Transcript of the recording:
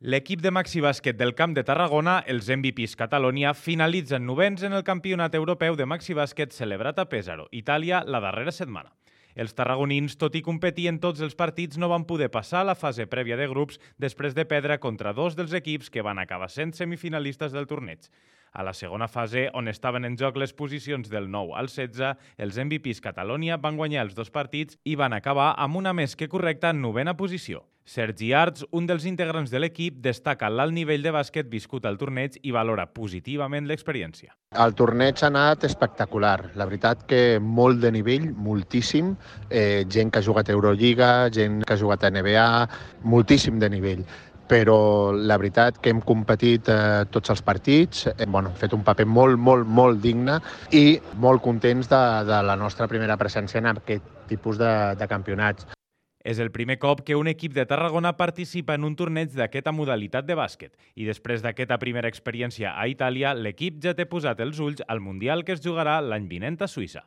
L'equip de Maxi Bàsquet del Camp de Tarragona, els MVPs Catalonia, finalitzen novens en el Campionat Europeu de Maxi Bàsquet celebrat a Pèsaro, Itàlia, la darrera setmana. Els tarragonins, tot i competir en tots els partits, no van poder passar a la fase prèvia de grups després de perdre contra dos dels equips que van acabar sent semifinalistes del torneig. A la segona fase, on estaven en joc les posicions del 9 al 16, els MVPs Catalonia van guanyar els dos partits i van acabar amb una més que correcta novena posició. Sergi Arts, un dels integrants de l'equip, destaca l'alt nivell de bàsquet viscut al torneig i valora positivament l'experiència. El torneig ha anat espectacular. La veritat que molt de nivell, moltíssim. Gent que ha jugat a Eurolliga, gent que ha jugat a NBA, moltíssim de nivell. Però la veritat que hem competit tots els partits, hem fet un paper molt digne i molt contents de la nostra primera presència en aquest tipus de campionats. És el primer cop que un equip de Tarragona participa en un torneig d'aquesta modalitat de bàsquet i després d'aquesta primera experiència a Itàlia, l'equip ja té posat els ulls al Mundial que es jugarà l'any vinent a Suïssa.